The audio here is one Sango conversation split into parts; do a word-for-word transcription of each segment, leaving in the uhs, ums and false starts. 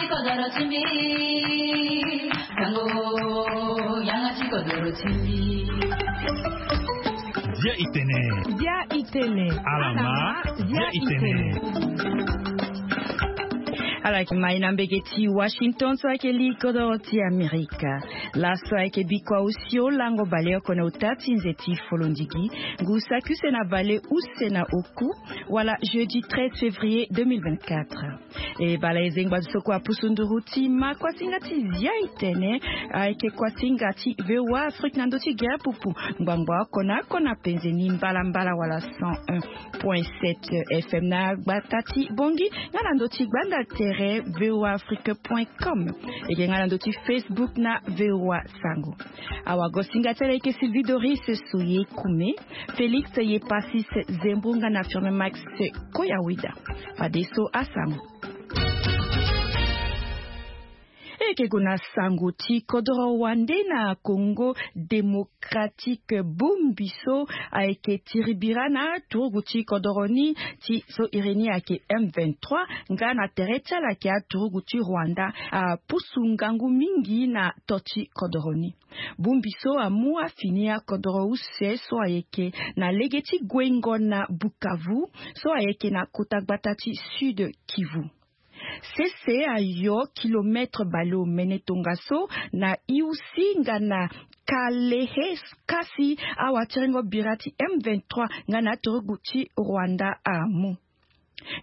Kodoro ti mbi, sango, yanga ti kodoro ti mbi. Dia itene. Dia itene. Alama, dia itene. Ala yeke mai na mbege ti Washington so ayeke li kodoro ti Amerika. Laso ayeke bikua osio lango baleoko na ota ti nze ti folondigi. Ngu saki use na bale use na oku, wala jeudi treize février deux mille vingt-quatre. E bala e zengba so kue apusu nduru ti ma kuasinga ti zia itene. Ayeke kuasinga ti VOA Afrique na ndö ti gere pupu. Ngbangbo oko na oko na penze ni mbalambala wala cent un point sept FM na gbata ti Bongi, nga na ndö ti gbanda tere VOA Afrique point com. Eke nga na ndö ti Facebook na VOA Sango. Awagosinga ti ala eke Sylvie Doris Soye Kume, Félix Yepasis Zembrunga na Firme Max Koyawida. Fadeso asango. Eke gue na sango ti kodoro wande na Congo Démocratique. Bongbi so ayeke tiribira na turugu ti kodoro ni ti so iri ni ayeke M vingt-trois, nga na tere ti ala ayeke aturugu ti Rwanda, apusu ngangu mingi na to ti kodoro ni. Bongbi so amu afini akodoro use so ayeke na lege ti guengo na Bukavu, so ayeke na kota gbata ti Sud Kivu. Sese ayo kilomètre baleomene tongaso na Iusi nga na Kalehe, kasi awatiringo bira ti M vingt-trois nga na aturugu ti Rwanda amu.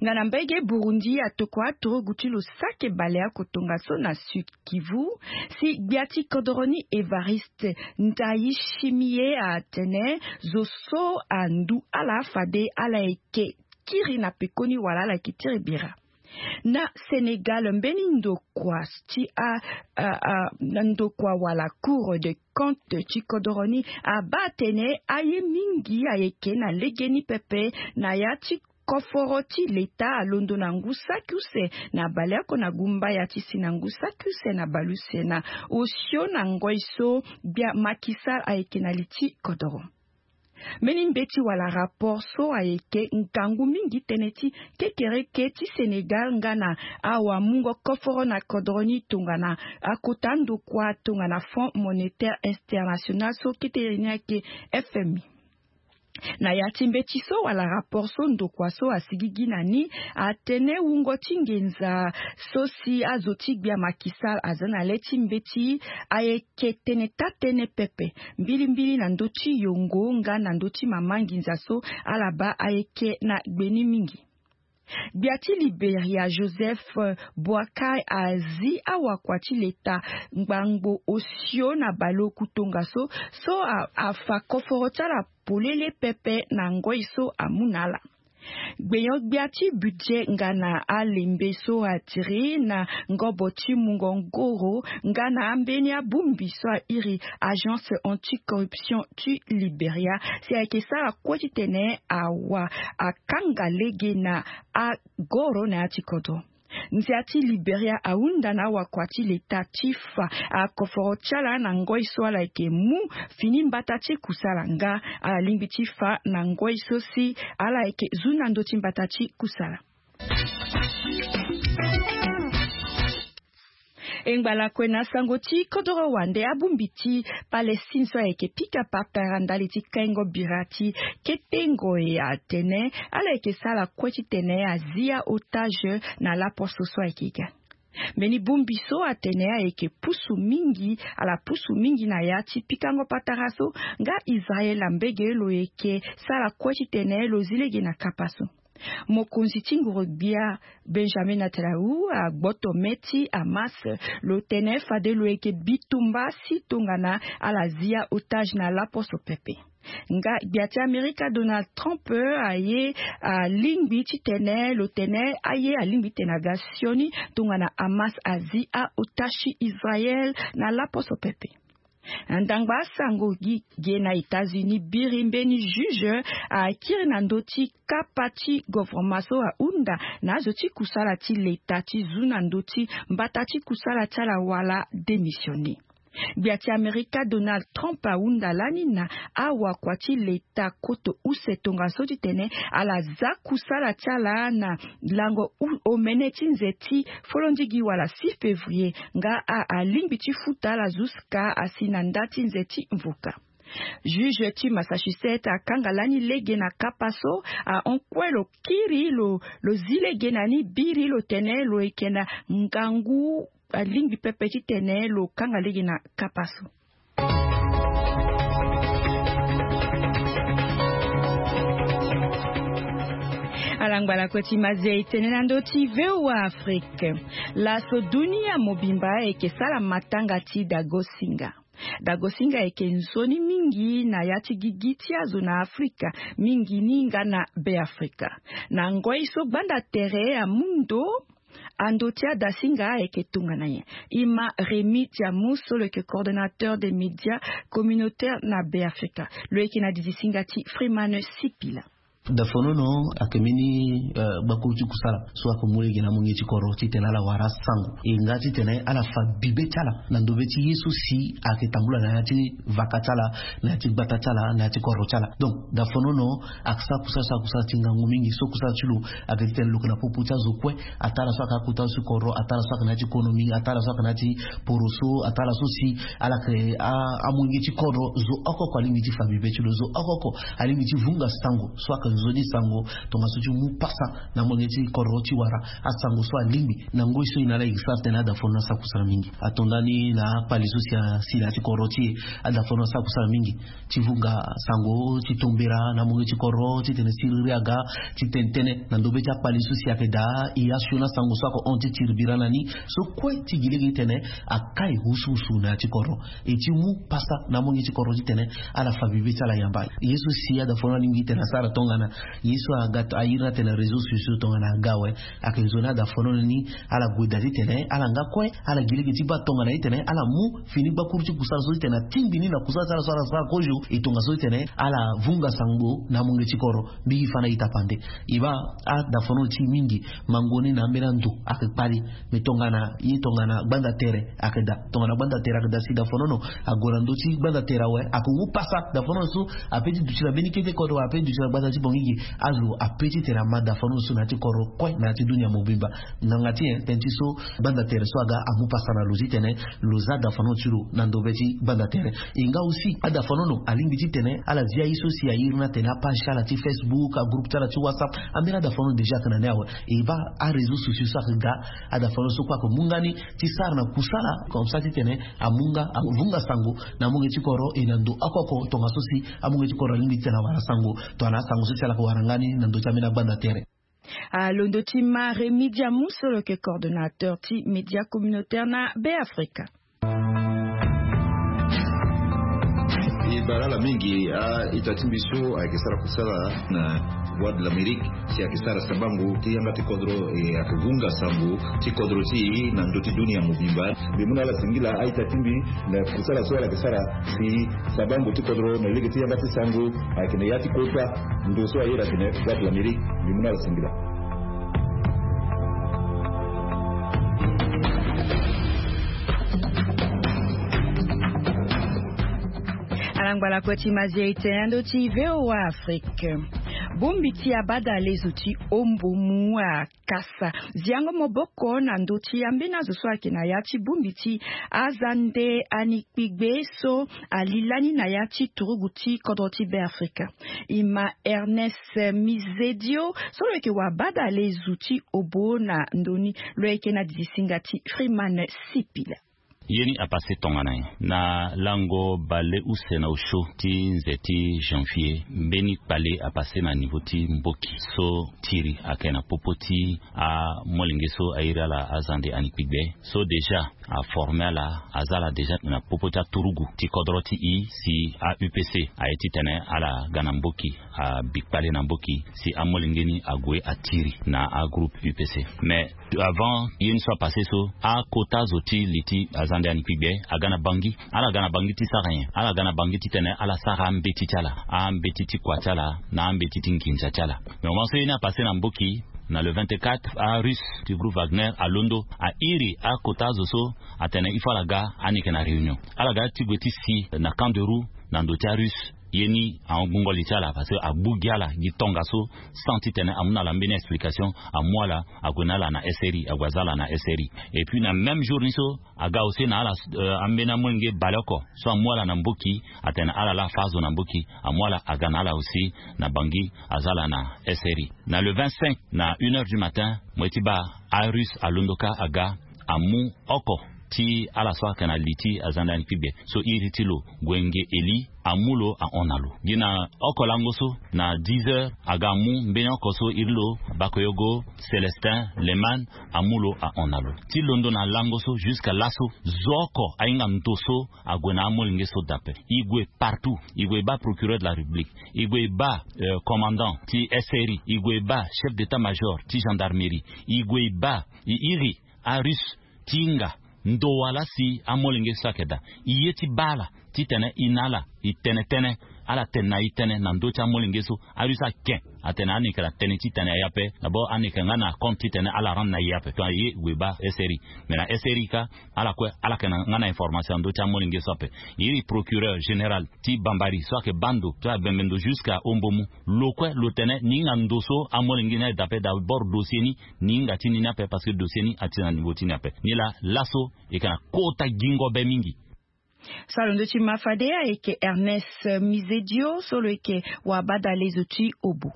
Nga na mbege Burundi atokua aturugu ti lo saki baleoko tongaso na Sud Kivu, si gbia ti kodoro ni Evariste Ndayishimiye atene zo so andu ala fade ala yeke kiri na pekoni wala ala yeke tiribira. Na Sénégal, mbeni ndokua ti a, a, a, na ndokua wala Cour de compte ti kodoro ni abaa atene aye mingi ayeke na legeni pepe na ya ti koforo ti leta alondo na ngu saki use na baleoko na gumbaya ti si na ngu saki use na baleuse na osio na ngoi so gbia Macky Sall ayeke na li ti kodoro. Mbeni mbeti wala rapport so ayeke ngangu mingi tënë ti kekereke ti Sénégal nga na awamungo koforo na kodoro ni tongana akota ndokua tongana Fonds Monétaire International so kete iri ni ayeke F M I. Na ya ti mbeti so wala rapport so ndokua so asigigi na ni atene wungo ti nginza so si azo ti gbia Macky Sall aza na le ti mbeti ayeke tene taa-tënë pepe, mbilimbili na ndö ti yongo nga na ndö ti mama nginza so ala baa ayeke na gbe ni mingi. Gbia ti Liberia Joseph Boakai azi awakua ti leta ngbangbo osio na baleoku tongaso so a, afa koforo ti ala polele pepe na ngoi so amu na ala. Gbenyo-gbia ti budget nga na alembe so atiri na ngobo ti mungo ngoro nga na ambeni abongbi so airi Agence Anticorruption ti Liberia si ayeke sara kue titene awa akanga lege na agoro na ya ti kodro. Ndia ti Liberia ahunda na awakua ti leta ti fa akoforo ti ala na ngoi so ala yeke mu fini mbata ti kusala nga ala lingbi ti fa na ngoi so si ala yeke zu na ndö ti mbata ti kusala. E ngba lakue na sango ti kodoro wande abongbi ti Palestine so ayeke pika patara ndali ti kaingo bira ti kete ngoi atene ala yeke sara kue titene azi aotage na laposo so ayeke ga. Mbeni bongbi so atene ayeke pusu mingi, ala pusu mingi na ya ti pikango patara so nga Israel na mbege lo yeke sara kue titene lo zi lege na kapa so. Mokonzi ti nguru-gbia Benjamin Netanyahu agboto me ti Hamas, lo tene fade lo yeke bitumba si tongana ala zi aotage na laposo pepe. Nga gbia ti Amerika Donald Trump aye alingbi titene lo tene aye alingbi titene aga sioni tongana Hamas azi aotage ti Israel na laposo pepe. Ndangba asango gi ge na États-Unis biri mbeni juge akiri na ndö ti kapa ti govoroma so ahunda na azo ti kusala ti leta ti zu na ndö ti mbata ti kusala ti ala wala démissionner. Gbia ti Amerika Donald Trump ahunda lani na awakua ti leta koto use tongaso titene ala za kusala ti ala na lango omene ti nze ti folondigi wala six février nga alingbi ti futa ala jusqu'à asi na nda ti nze ti mvuka. Juge ti Massachusetts akanga lani lege na kapa so ahon kue lo kiri lo lo zi lege na ni biri lo tene lo yeke na ngangu alingbi pepe titene lo kanga lege na kapa so. Ala ngbala kue ti mazi e tene na ndö ti V O A Afrique. Laso dunia mobimba eke sara matanga ti dagosinga. Dagosinga eke nzoni mingi na ya ti gigi ti azo na Afrika, mingi ni nga na Be Afrika. Na ngoi so gbanda tere amu ndo ando ti adasinga eke tongana nyen? Ima Rémy Diamou so lo yeke coordonnateur des médias communautaires na Be Afrika. Lo yeke na didisinga ti Freeman Sipila. Dafonono ayeke mbeni gbakuru ti kusala so ayeke mu lege na amolenge ti kodro titene ala wara asango e nga titene ala fa bibe ti ala na ndobe ti ye so si ayeke tambula na ya ti vaka ti ala, na ya ti gbata ti ala, na ya ti kodro ti ala. Donc dafonono ayeke sara kusala so ayeke kusala ti ngangu mingi so kusala ti lo ayeke titene lo yeke na popo ti azo kue. Atara so ayeke akota so ti kodro, atara so ayeke na ya ti konomi, atara so ayeke na ya ti poroso, atara so si ala yeke amolenge ti kodro zo oko oko alingbi ti fa bibe ti lo, zo oko oko alingbi ti vunga sango so ayeke nzoni sango tongaso ti mu pasa na amolenge ti kodro ti wara asango so alingbi. Na ngoi so e na ala e sara tene adafonono asara kusala mingi. Ato ndani na akpali so si asi na ya ti kodro ti e, adafonono asara kusala mingi ti vunga sango ti tombera na amolenge ti kodro titene siriri aga ti tene tënë na ndobe ti akpali so si ayeke daa e asioni asango so ayeke hon ti tiri bira na ni so kue ti gi lege titene akai wusuwusu na ya ti kodro. E ti mu pasa na amolenge ti kodro titene ala fa bibe ti ala yamba. Ye so si adafonono alingbi titene asara tongana ye so aga airi ni atene réseaux sociaux tongana aga awe. Ayeke nzoni adafonono ni ala gue daa titene ala nga kue ala gi lege ti baa tongana titene ala mu fini gbakuru ti kusala so titene atingbi ni na kusala ti ala so ala sara kozo e tongaso titene ala vunga sango na amolenge ti kodro. Mingi fa na ita pande e baa adafonono ti mingi mango ni na ambeni ando ayeke kpali. Me tongana ye tongana gbanda tere ayeke daa, tongana gbanda tere ayeke daa si dafonono ague na ndö ti gbanda tere awe ayeke wu pasa. Dafonono so ape ti duti na mbeni kete kodro ape ti duti na gbata ti bongigi. Azo ape titene ama dafonono so na ya ti kodro kue na ya ti dunia mobimba. Ngbanga ti nyen? Tënë ti so gbanda tere so aga amu pasa na lo titene lo za dafonono ti lo na ndobe ti gbanda tere. E nga aussi adafonono alingbi titene ala zi aye so si airi ni atene apage ti ala ti Facebook, agroupe ti ala ti WhatsApp. Ambeni adafonono déjà ayeke na ni awe. E baa aréseaux sociaux so ayeke ga adafonono so kue ayeke mu nga ni ti sara na kusala comme ça titene amu nga avunga sango na amolenge ti kodro e na ndo oko oko tongaso si amolenge ti kodro alingbi titene awara sango tongana asango so si ala yeke wara nga ni na ndö ti ambeni agbanda tere. Alondo ti ma Rémy Diamou so lo yeke coordonnateur ti média communautaire na Be Afrika. E bale ala mingi a-ita ti mbi so ayeke sara kusala na Voix de l'Amérique si ayeke sara sabango ti yanga ti kodro e ayeke vunga sango ti kodro ti e na ndö ti dunia mobimba. Mbi mu na ala singila a-ita ti mbi na kusala so ala yeke sara si sabango ti kodro na lege ti yanga ti sango ayeke na ya ti kota ndo so aye atene Voix de l'Amérique. Mbi mu na ala singila. Ala ngbala kue ti mazi e tene na ndö ti V O A Afrique. Bongbi ti abadalezo ti ombo mu akasa ziango maboko na ndö ti ambeni azo so ayeke na ya ti bongbi ti azande ani kpigbe so ali lani na ya ti turugu ti kodro ti Be Afrika. E ma Ernest Mizedio so lo yeke wabadalezo ti obo na ndö ni. Lo yeke na didisinga ti Freeman Sipila. Ye ni apase tongana nyen? Na lango bale use na osio ti nze ti janvier, mbeni kpale apase na niveau ti mboki so tiri ayeke na popo ti amolenge so airi ala azande ani kpigbe so déjà aforme ala, aza ala déjà na popo ti aturugu ti kodro ti e si a-U P C aye titene ala ga na mboki, abi kpale na mboki si amolenge ni ague atiri na agroupe U P C. Mais avant ye ni so apase so, akota zo ti li ti azande ani kpigbe aga na Bangui. Ala ga na Bangui ti sara nyen? Ala ga na Bangui titene ala sara ambeti ti ala, ambeti ti kua ti ala na ambeti ti nginza ti ala. Mais moment so ye ni apase na mboki, Na le vingt-quatre, arusse ti groupe Wagner alondo, airi akota azo so, atene il faut ala ga, ani yeke na réunion. Ala ga ti gue ti si na camp de roue na ndo ti arusse. Ye ni ahon gbungo li ti ala parce que agbu gi ala gi tongaso, sans titene amu na ala mbeni explication. Amu ala, ague na ala na S R I, ague aza ala na S R I. Et puis na même jour ni so, aga aussi na ala, euh, ambeni amolenge baleoko so amu ala na Mboki, atene ala laa afa azo na Mboki, amu ala aga na ala aussi na Bangui, aza ala na S R I. Na le vingt-cinq, na une heure du matin, mo ye ti baa arusse alondo kâ aga, amu oko ti ala so ayeke na li ti aza ndani kpigbe so iri ti lo Gwenge Eli, amu lo ahon na lo. Gi na oko lango so, na dix heures, aga amu mbeni oko so iri lo Bakoyogo Célestin Leman, amu lo ahon na lo. Ti londo na lango so jusqu'à laso, zo oko ahinga ndo so ague na amolenge so daa ape. E gue partout, e gue e baa procureur de la République, e gue e baa, euh, commandant ti S R I, e gue e baa chef d'état-major ti gendarmerie, e gue e baa, e iri arusse ti hinga ndo wala si amolenge so ayeke daa. E ye ti baa ala titene e na ala e tene tënë, ala tene na e tënë na ndö ti amolenge so. Arusse ake atene ani yeke na tënë ti tene na e ape. D'abord ani yeke nga na compte titene ala rendre na e ape. Donc aye gue e baa S R I. Mais na S R I kâ, ala kue ala yeke na nga na information na ndö ti amolenge so ape. E iri procureur général ti Bambari so ayeke baa ndo so abembe ndo jusqu'à Ombomu, lo kue lo tene ni hinga ndo so amolenge ni aye daa ape. D'abord dossier ni, ni hinga ti ni ni ape parce que dossier ni ati na niveau ti ni ape. Nilaa laso e yeke na kota gingo be mingi. So alondo ti ma fade ayeke Ernest Mizedio so lo yeke wabadalezo ti Obo.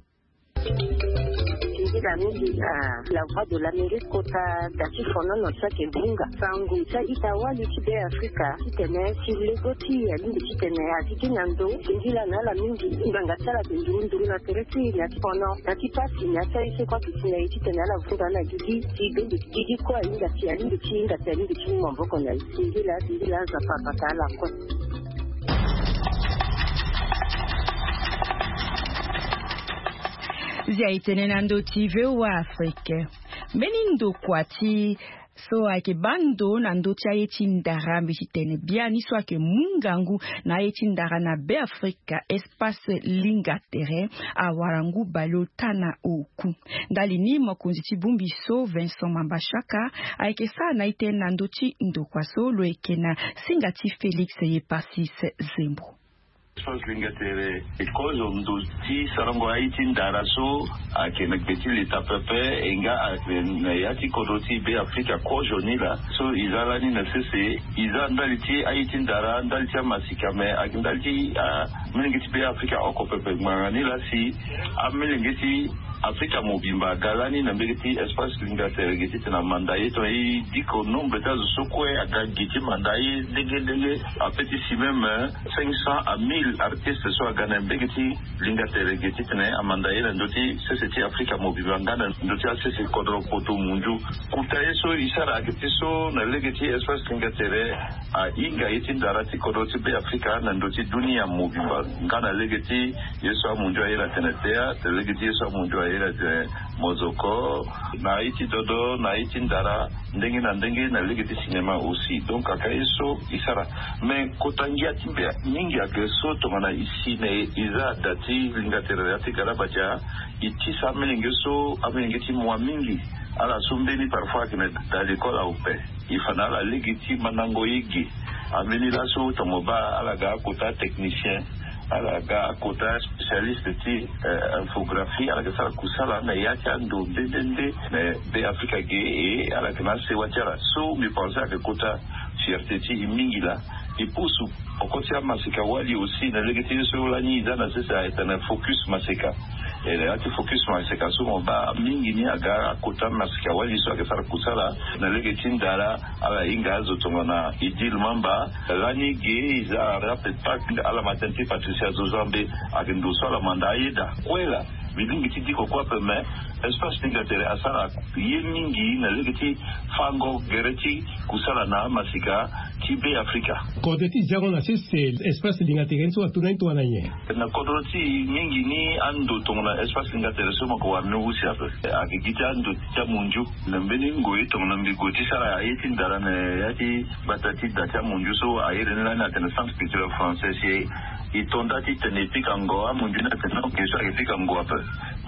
Singila mingi na La Voix de l'Amérique kota da ti fonono so ayeke hunga sango ti a-ita wali ti Be Afrika titene si lego ti e alingbi titene a zi gi na ndo. Singila na ala mingi. Ngbanga ti ala ayeke nduru nduru na tere ti e na ti fono, na ti pasi, na ti aye so kue ayeke si na e titene ala vunga na gigi. Ti bende gigi kue ahinga si alingbi ti hinga si alingbi ti mu maboko na e. Singila, singila, Nzapa abata ala kue. Zia e tene na ndö ti V O A Afrique. Mbeni ndokua ti so ayeke baa ndo na ndö ti aye ti ndara, mbi ti tene biani so ayeke mu ngangu na aye ti ndara na Be Afrika, Espace Linga Tere, awara ngu baleota na oku. Ndali ni mokonzi ti bongbi so Vincent Mamba Chaka ayeke sara na e tënë na ndö ti ndokua so lo yeke na singa ti Félix Yeparsis Zembo. Espace Linga Tere e kozo ndo ti sarango aye ti ndara so ayeke na gbe ti leta pepe, e nga ayeke na ya ti kodro ti Be Afrika kozo ni laa. So e za lani na sese, e za ndali ti aye ti ndara, ndali ti amasika, me ayeke ndali ti amolenge ti Be Afrika oko pepe. Ngbanga ni laa si amolenge ti Afrika mobimba aga lani na mbege ti Espace Linga Tere ge titene amanda ye, tongana e diko nombre ti azo so kue aga ge ti manda ye ndenge ndenge, ape ti si même cinq cents à mille artistes so aga na mbege ti Linga Tere ge titene amanda ye na ndö ti sese ti Afrika mobimba nga na ndö ti asese kodro poto munzu. Kota ye so e sara ayeke ti so na lege ti Espace Linga Tere ahinga ye ti ndara ti kodro ti Be Afrika na ndö ti dunia mobimba, nga na lege ti ye so amunzu aye na tene théâtre, lege ti ye so amunzu aye na tene mozoko, na aye ti dodo, na aye ti ndara, ndenge na ndenge, na lege ti cinéma aussi. Donc ayeke aye so e sara. Mais kota ngia ti mbi mingi ayeke so tongana e si na e, e za da ti Linga Tere ya ti Galabadia, e tisa amolenge so, amolenge ti mua mingi, ala so mbeni parfois ayeke na da l'école ape. E fa na ala lege ti mandango ye ge. Ambeni laso tongana mo baa ala ga akota technicien, ala ga akota spécialiste ti, eh, infographie, ala ga sara kusala na ya ti ando nde nde nde na Be Afrika ge. E ala yeke na asewa ti ala so mbi pense ayeke kota fierté ti e mingi laa. E pusu oko ti amaseka wali aussi na lege ti ye so lani e za na sese ayeke tene focus maseka. E na ya ti focus maseka so mo baa mingi ni aga akota maseka wali so ayeke sara kusala na lege ti ndara. Ala hinga azo tongana Idil Mamba lani ge, e za arape pak ala matin ti Patricia Zozambe, ayeke ndo so ala manda aye daa kue laa. Mbi lingbi ti diko kue ape, mais Espace Linga Tere asara ye mingi na lege ti fango gere ti kusala na amaseka ti Be Afrika. Kode ti zango na sese Espace Linga Tere ni so atu na ni tongana nyen? Na kodro ti e mingi ni ando tongana Espace Linga Tere so mo yeke wara ni use ape. Ayeke gi ti ando ti amunzu. Na mbeni ngoi tongana mbi gue ti sara aye ti ndara na ya ti gbata ti da ti amunzu so a iri ni lani atene Centre Culturel Français, si e to nda titene e pikango amunzu ni atene non, ge so ayeke pikango ape.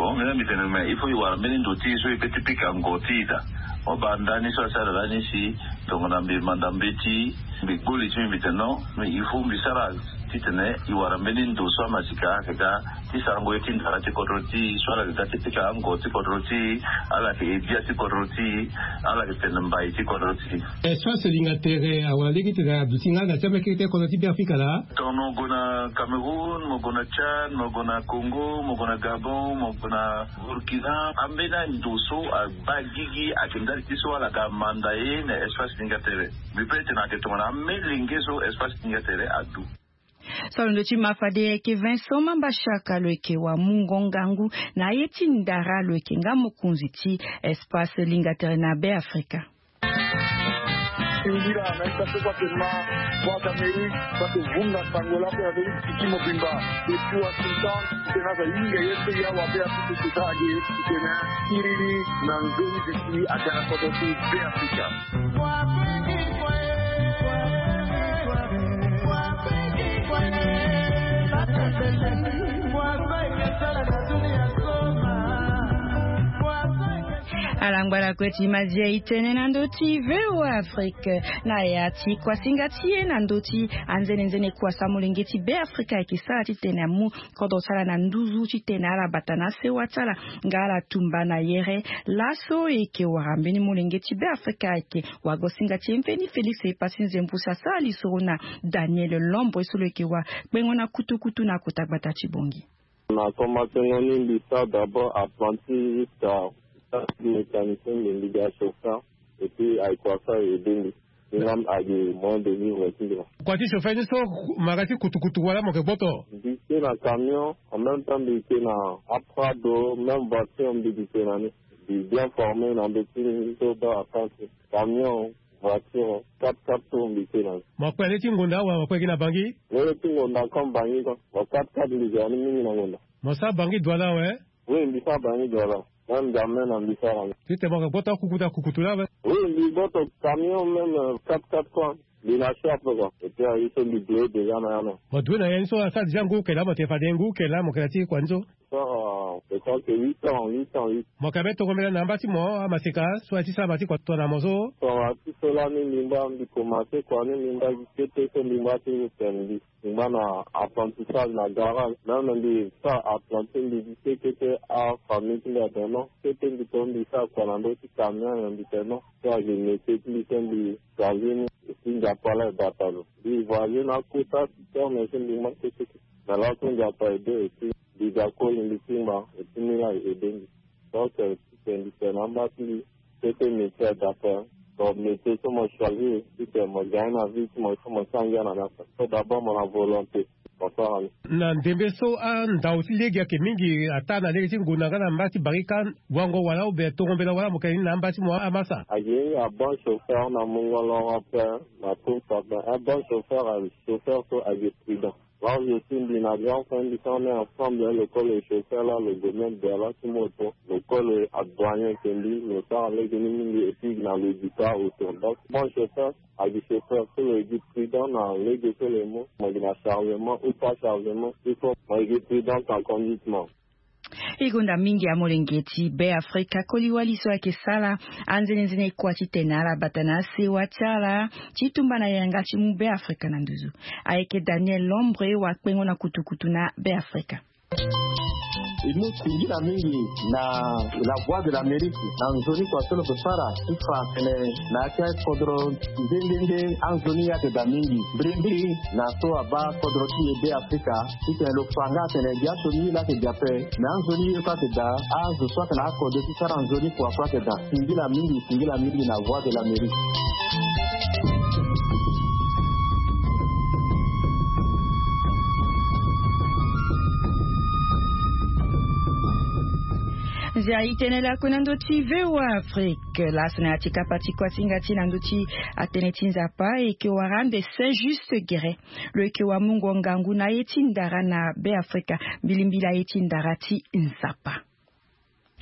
Bon, mbi na mbi tene me il faut e wara mbeni ndo ti e so e pe ti pika ngo ti e daa. Mo baa ndani so asara lani si tongana mbi manda mbeti, mbi gbu li ti mbi, mbi tene non, mais il faut mbi sara titene e wara mbeni ndo so amasika ayeke ga ti sarango ye ti ndara ti kodro ti e so ala yeke ga ti pika ango ti kodro ti e, ala yeke edia ti kodro ti e, ala yeke tene mbai ti kodro ti e. Espace Linga Tere awara lege titene aduti nga na ti ambeni kete kodro ti Beafrika laa. Tongana mo gue na Cameroun, mo gue na Tchad, mo gue na Congo, mo gue na Gabon, mo gue na Burkina, ambeni ando so abaa gigi ayeke ndali ti so ala ga manda ye na Espace Linga Tere. Mbi pe tene ayeke tongana amolenge so Espace Linga Tere adu. So alondo ti ma fade ayeke Vincent Mamba Shaka, lo yeke wamungo ngangu na aye ti ndara, lo yeke nga mokonzi ti Espace Linga Tere na Beafrika. Singila na ita so kua ke ma Voix d'Amérique, kua ke vunga sango la pe na be ti tiki mobimba. Depuis Washington, tena za hinga ye so ya wa be a tiki tena age tena kiriri na nzoni bisi aga na kodro ti Beafrika. Ala ngbala kue ti madia e tene na ndö ti V O A Afrique na ya ti kuasinga ti e na ndö ti anzenenzene kua so amolenge ti Beafrika ayeke sara titene amu kodro ti ala na nduzu titene ala bata na sewa ti ala nga ala tumba na yere. Laso e yeke wara mbeni molenge ti Beafrika ayeke wagosinga ti e mbeni Félix Epassi Nzembu si asara lisoro na Daniel Lombre so lo yeke wakpengo na kutukutu na kota gbata ti Bangui. Na komansengo ni mbi sara d'abord apprenti jusqu'à mécanicien, mbi mbi ga chauffeur. Et puis ayeke kua so aye aidé mbi. Ni nga mbi ayeke moyen de vivre ti mbi laa. Kua ti chauffeur ni so, mo yeke ti kutukutu wala mo yeke gboto? Mbi ke na camion, en même temps mbi ke na aprado, même voiture mbi ke na ni. Mbi bien formé na ndö ti ni so baa apprenti. Camion, voiture, quatre-quatre tours mbi ke na ni. Mo kpe na lege ti ngonda wala mo kpe gi na Bangui? Lege ti ngonda comme Bangui quoi. Mo quatre-quatre mbi ke na ni mingi na ngonda. Mo sara Bangui Douala awe? Oui, mbi sara Bangui Douala. Même N'Djamena mbi sara ni. Titene mo yeke gboto akukutu akukutu laa awe? Oui, mbi gboto camion même, euh, quatre-quatre quoi. Mbi na chape quoi. Et puis aye so mbi doye déjà na ya na. Mo doye na ya ni so asara déjà ngu oko laa mo tene fade ngu oko laa mo yeke na ti kua ni so? Sara, euh, je crois que huit ans, huit ans, huit. Mo yeke na mbeni tongombela na amba ti mo amaseka so aye ti sara ma ti kua tongana mo so? Tongana ti so lani mbi ngba mbi commencé kua ni mbi ngba gi kete so mbi ngba ti tene mbi. Mbi ngba na apprentissage na garage. Même mbi sara apprenti mbi gi kete kete afamille ti mbi atene non. Kete mbi to mbi sara kua na ndö ti camion nyen mbi tene non. So ayeke métier ti mbi so mbi choisir ni. Et puis Nzapa laa e bata lo. Mbi voyager na akota ti terme so mbi ngba kete kete. Mais laso Nzapa aidé et puis mbi ga koli mbi ti ngba et puis ni laa e aidé mbi. Donc, euh, titene mbi tene na amba ti mbi, kete métier adapté. Donc métier so mo choisir titene mo gagne na vie ti mo, il faut mo sara ngia na ni ape. So d'abord mo na volonté, mo sara ni. Na ndembe so andau ti lege ayeke mingi ataa na lege ti ngonda nga na mba ti barika, wango wala ou bien tongombela wala mo yeke ni na amba ti mo amasa? Ayeke a bon chauffeur na mungo loro ape, na course ape. Un bon chauffeur, un chauffeur so ayeke prudent. Là où je suis, mbi na grand frère mbi so on est ensemble, hein, lo koli lo chauffeur là, lo gue même Douala ti moto, lo koli lo adouane ayeke mbi, lo sara lege ni mingi, et puis na lo gi taa autour. Donc bon chauffeur, ayeke chauffeur so lo gi prudent na lege so lo mu, mo gi na chargement ou pas chargement, il faut mo gi prudent na conduite mo. E gonda mingi amolenge ti Beafrika koli wali so ayeke sara anzenenzene kua titene ala bata na sewa ti ala ti tumba na yanga ti mu Beafrika na nduzu. Ayeke Daniel Lombre wakpengo na kutukutu na Beafrika. E mu singila mingi na La Voix de l'Amérique na nzoni kua so lo yeke sara ti fa tene na ya ti akodro nde nde nde anzoni ayeke daa mingi. Mbirimbiri na so abaa kodro ti e Beafrika titene lo fa nga atene biaso ni laa ayeke daa ape. Me anzoni ye kue ayeke daa, azo so ayeke na akode ti sara nzoni kua kue ayeke daa. Singila mingi, singila mingi na Voix de l'Amérique. Nzia e tene lakue na ndö ti V O A Afrique. Laso na ya ti kapa ti kuasinga ti e na ndö ti atënë ti Nzapa, e yeke wara ande Saint Juste Guérin. Lo yeke wamungo ngangu na aye ti ndara na Beafrika, mbilimbili aye ti ndara ti Nzapa.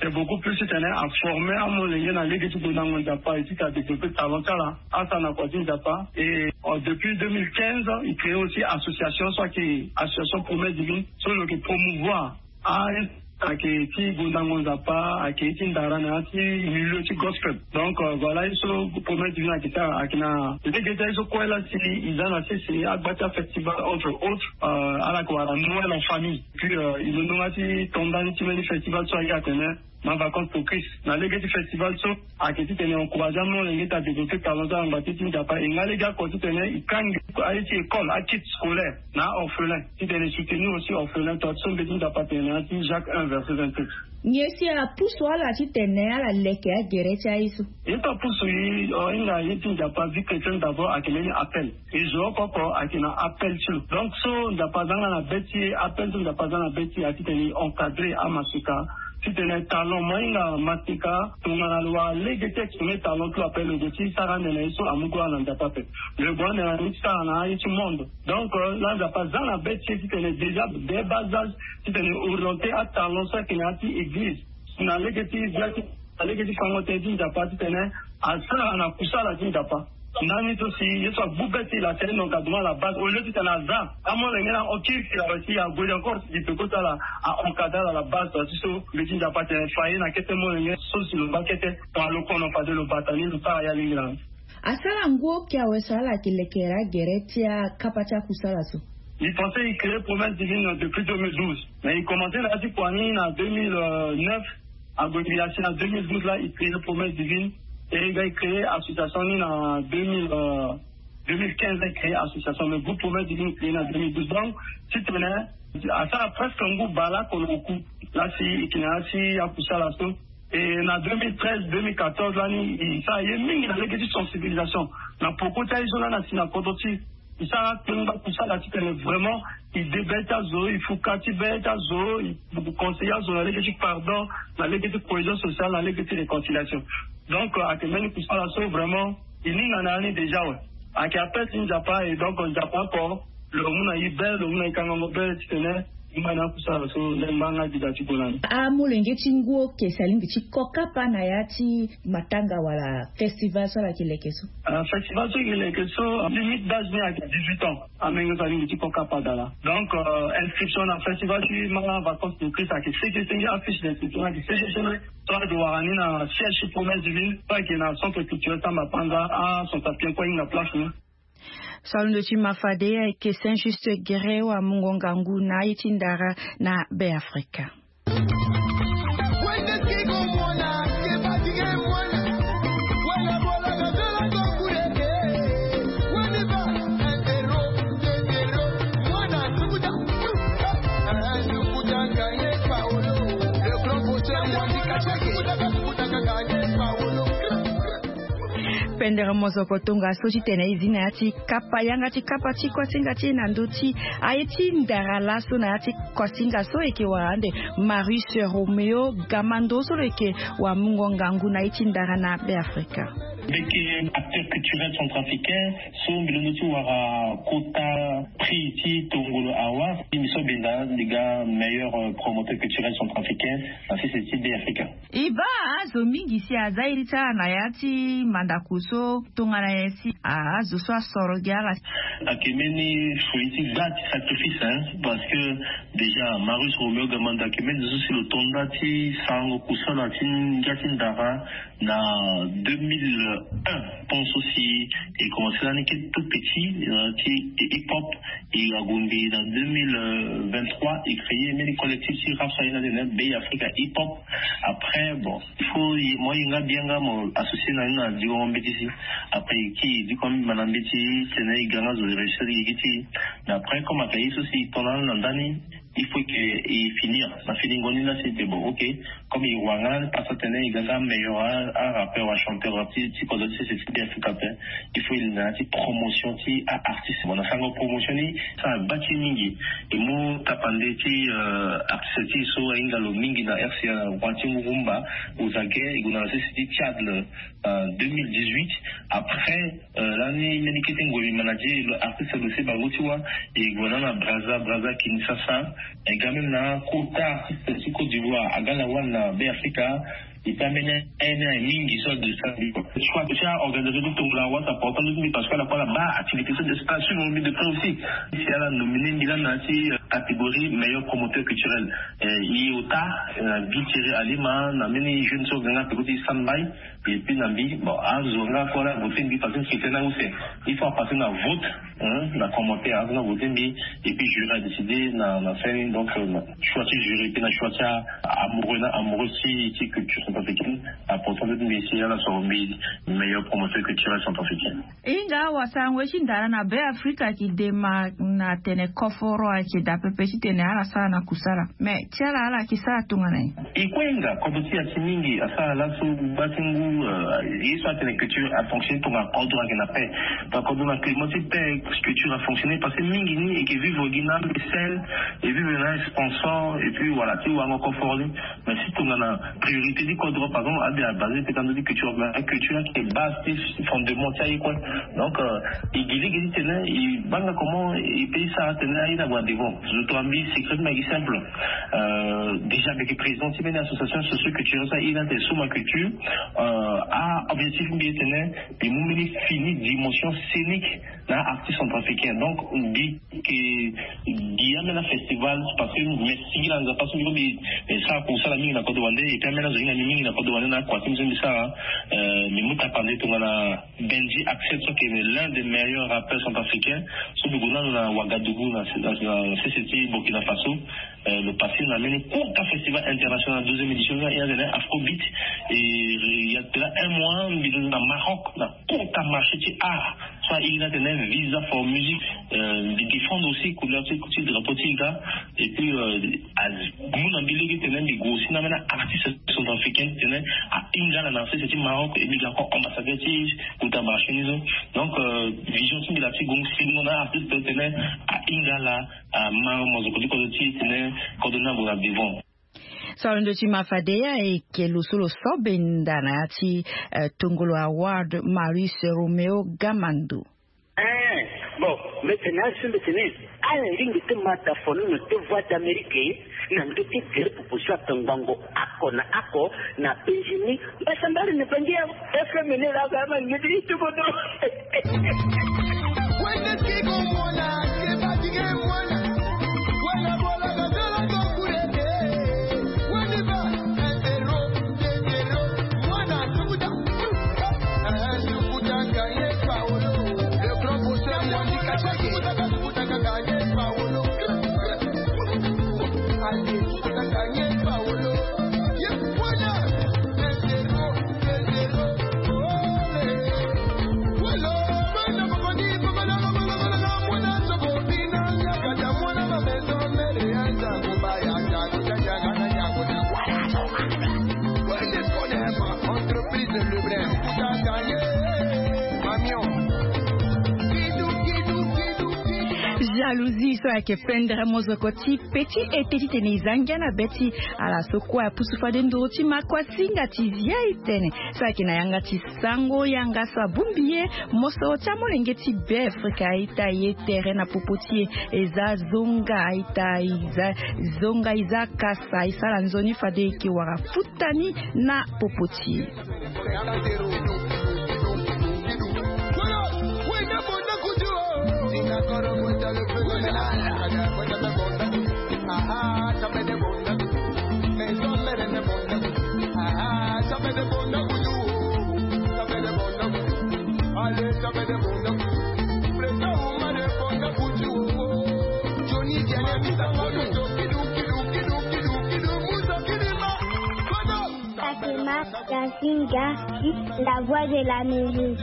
C'est beaucoup plus titene a former amolenge na lege ti gue na ngonda Nzapa et ti développer talent ti ala, asara na kua ti Nzapa. Et, euh, depuis deux mille quinze, il crée aussi association so ayeke association Promesse Divine so lo yeke promouvoir a Ayeke ti gondango nzapa, ayeke ti ndara na ya ti milieu ti gospel. Donc voilà ye so promesse divine ayeke sara ayeke na lege ti aye so kue laa si e za na sese agba ti afestival entre autres, ala yeke wara noël en famille. Puis e londo nga ti to ndani ti mbeni festival so aye atene ma vacances pour christ. Na lege ti festival so ayeke titene encourager amolenge ti adévelopper talent so ala ngba ti ti nzapa e nga lege oko titene e kangi aye ti école akit scolaire na a-orphelin titene e soutenir aussi orphelin to ati so mbeti nzapa atene na ya ti jacques un verset vingt-sept. Nyen si apusu ala titene ala leke agere ti aye so? Ye so apusu e, hinga ye ti nzapa vie chrétienne d'abord ayeke mbeni appel. E zo oko oko ayeke na appel ti lo. Donc so nzapa aza nga na be ti e, appel so nzapa aza na be ti e ayeke titene e encadrer amasika titene talent mo ahinga masika tongana lo wara lege ti exprimer talent ti lo ape lo gue ti sara ande na ye so amu kue na nzapa ape. Lo gue ande na ye ti sara na aye ti monde. Donc laa nzapa aza na be ti e titene déjà dès bas âge titene e orienter atalent so ayeke na ya ti église na lege ti via ti na lege ti fango tënë ti nzapa titene asara na kusala ti nzapa. Ndani so si ye so agbu be ti e la tene donc aduma la base au lieu titene aza amolenge na okirikiri awe si ague encore si e pe kota ala a encadrer ala la base to ati so mbi ti nzapa tene fa ye na kete molenge so si lo ngba kete. Tongana lo kono fade lo bata ni lo sara ya lingila. Asara ngu oke awe so ala yeke lekere agere ti akapa ti akusala so? Mbi pense e créer promesse divine depuis deux mille douze mais e commencer na ya ti kua ni na deux mille neuf. Ague mbi asi na deux mille douze laa e créer promesse divine. E ga e créer association ni na deux mille deux mille quinze e créer association mais groupe promesse divine e créer na deux mille douze donc titene asara presque ngu baleoko na oku. Laa si e yeke na ya ti akusala so e na deux mille treize deux mille quatorze lani e sara ye mingi na lege ti sensibilisation na poko ti aye so lani asi na kodro ti e sara akpengba kusala titene vraiment e de be ti azo e fuka ti be ti azo e conseiller azo na lege ti pardon na lege ti cohésion sociale na lege ti réconciliation. Donc ayeke mbeni kusala so vraiment e ninga na ya ni déjà awe. Ayeke appel ti nzapa e donc nzapa oko lo mu na e be lo mu na e kangango be titene e ngba na akusala so lengba nga gi daa ti gue na ni. Amolenge ti ngu oke si alingbi ti ko kapa na ya ti matanga wala festival so ala yeke leke so? Festival so e yeke leke so limite d'âge ni ayeke dix-huit ans. Amenge so alingbi ti ko kapa daa laa donc inscription na festival ti ma vacances pour christ ayeke sege senge. Affiche d'inscription ayeke sege senge. So azo wara ni na siège ti promesse divine so ayeke na centre culturel samba panza. Acentre sapien kue ahinga place ni. Salondo ti ma fade ayeke saint juste guerre wamungo ngangu na aye ti ndara na be afrika. Pendere mozoko tongaso titene e zi na ya ti kapa yanga ti kapa ti kuasinga ti e na ndö ti aye ti ndara laso na ya ti kuasinga so e yeke wara ande. Marius Romeo Gamando so lo yeke wamungo ngangu na ye ti ndara na beafrika. Mbi yeke acteur culturel centrafricain so mbi londo ti wara kota prix ti tongolo awa. Mbi so benda mbi ga meilleur promoteur culturel centrafricain na sese ti beafrika. E baa azo mingi si aza iri ti ala na ya ti mandako so tongana nyen si azo so asoro gi ala? Ayeke mbeni fouille ti gba ti sacrifice hein parce que déjà marius romeo gamanda ayeke mbeni zo so si lo to nda ti sarango kusala ti ngia ti ndara na deux mille un. Pont so si e commence lani ke tout petit ti hip hop. E agundi na deux mille vingt-trois e créer mbeni collectif ti rap so aye na tene be africa hip hop. Après bon il faut mo aye nga bien nga mo associer na ni na diwango mbeti si. Après e kiri e diko ambima na mbeti tene e ga nga zo e réussir gi gi ti. Mais après comme ayeke ye so si e to na ni na ndani il faut que e finir na finingo ni la si e te bon ok. Comme e wara nga pasa tene e ga nga meilleur arappeur achanteur ti ti kozo ti sese ti be africa ape. Il faut e linda na ya ti promotion ti aartiste mo na sango promotion ni. Sa gba ti mingi e mu tapande ti artiste ti e so ahinga lo mingi na rca na roi ti ngurumba. Ozage e gue na sese ti tchad le deux mille dix-huit. Après lani mbeni kete ngoi mbi manager lo artiste lo se bango ti wa. E gue na na braza braza kinshasa. E ga même na kota artiste ti côte d'ivoire aga na wani na be africa. E pe ambeni aye ni aye mingi so ade sa mbi kua soit ti aorganisation ti tongo na wasa portant mbi parce que ala kue ala baa activité so de spa suivre mbi de près aussi. Si ala nomine mbi lani na ya ti Catégorie meilleur promoteur culturel, eh, i ota, eh, na bi Thierry Alima, na mbeni jeune so ga nga peko ti Sanbai. Et puis na mbi, bon, azo nga kue ala voté mbi parce que c'était là où c'est, il faut passer na vote, hein, na commentaire, azo nga voté mbi. Et puis jury a décidé na, na fin, donc, euh, na choix ti jury, puis na choix ti a-, amoureux, na amoureux ti, ti culture centrafricaine, aportant mbi si ala soro mbi meilleur promoteur culturel centrafricain. Hinga, wasango ti ndara na Be Afrika ayeke dema na tene koforo ayeke daa pepe titene ala sara na kusala. Mais ti ala, ala yeke sara tongana nyen? E kue hinga, kodro ti e asi mingi asara laso gba ti ngu, eh, ye so atene culture afonctionner tongana kodro ayeke na paix. Donc kodro na climat ti paix, culture afonctionner parce que mingi ni e yeke vivre gi na mécène, e vivre na sponsor, et puis voilà, ti warango koforo ni. Mais si tongana priorité ti kodro, par exemple, abia basé peut-être na ndö ti culture, mais culture ayeke base ti fondement ti aye kue. Donc, euh, e gi lege titene e baa nga comment e peut ti sara titene aye ni ague na devant. Zo tongana mbi, secret ti mbi ayeke simple. Euh, déjà mbi yeke président ti mbeni association socio-culturelle so aye ni atene Soma Culture. Euh, a-objectif ti mbi titene mbi mu mbeni fini dimension scénique na artiste centrafricain. Donc mbi yeke gi ambeni afestival, parce que mbi singila Nzapa so mbi, mbi sara kusala mingi na kodro wande, et puis ambeni azo hinga mbi mingi na kodro wande na akua ti mbi so mbi sara. Euh, mbi mu tapande tongana Benji Accent so ayeke l'un des meilleurs rappeurs centrafricains, so mbi gue nanu na Ouagadougou na, na, na C C T Burkina Faso. Euh, lo passé na mbeni Kunta Festival International, douzième édition, e atene Afrobeat. Et il y a de cela un mois mbi londo na Maroc na Kunta, marché ti art so aye ni atene Visa for Music. Euh, mbi défendre aussi couleur ti, ti drapeau ti e ga. Et puis, euh, amu na mbi lege titene mbi gue aussi na ambeni artiste centrafricain titene ahinga ala na C C T ti Maroc, et mbi ga encore ambassadeur ti Kunta marché ni so. Donc, euh, vision ti mbi laa ti gue singo na artiste titene ahinga ala, ama mozoko ti kodro ti e titene kodro ni ague na devant. So alondo ti ma fade, ayeke lo so lo so benda na ya ti, eh, Tongolo Award, Marius Romeo Gamando. Eh, bon, mbi tene azo, mbi tene ala lingbi ti ma da fonono ti Voix d'Amérique na ndö ti gere proposition ato ngbongo oko na oko na Benjamin. Mbasambara ni bangi ya F M ni la ga ma ngeti itubodo. Jalousie so ayeke pendre mozoko ti petit ete titene e za ngia na be ti ala so kue apusu fade nduru ti makuasinga ti zia e tene so ayeke na yanga ti sango yanga so abongbi ye. Mosoro ti amolenge ti Be Afrika a-ita ye tere na popo ti e. E za zonga a-ita, e za zonga, e za kasa, e sara nzoni fade e yeke wara futa ni na popo ti e. Fatima Yasinga, la voix de la musique.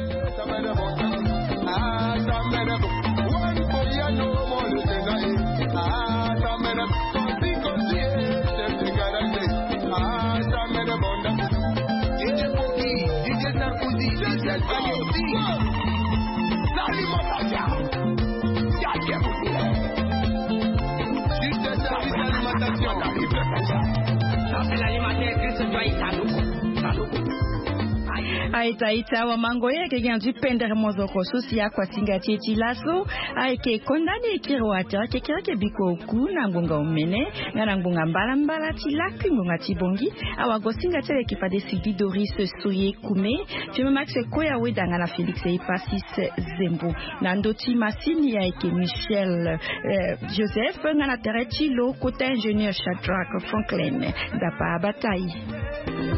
Aita aita wa mango ye keke anzu pendere mozoko so si akuasinga ti e ti laso. Ayeke konda ni ekiri wa tere kekere ke biko oku na ngbonga omene nga na ngbonga mbalambala ti lakui ngbonga ti bongi. Awagosinga ti aleke fade sidi doris soye kume, fima max koya weda nga na félix epasis zembo. Na ndo ti masini ayeke michel joseph nga na tere ti lo kota ingénieur shadrack franklin. Dapa batai.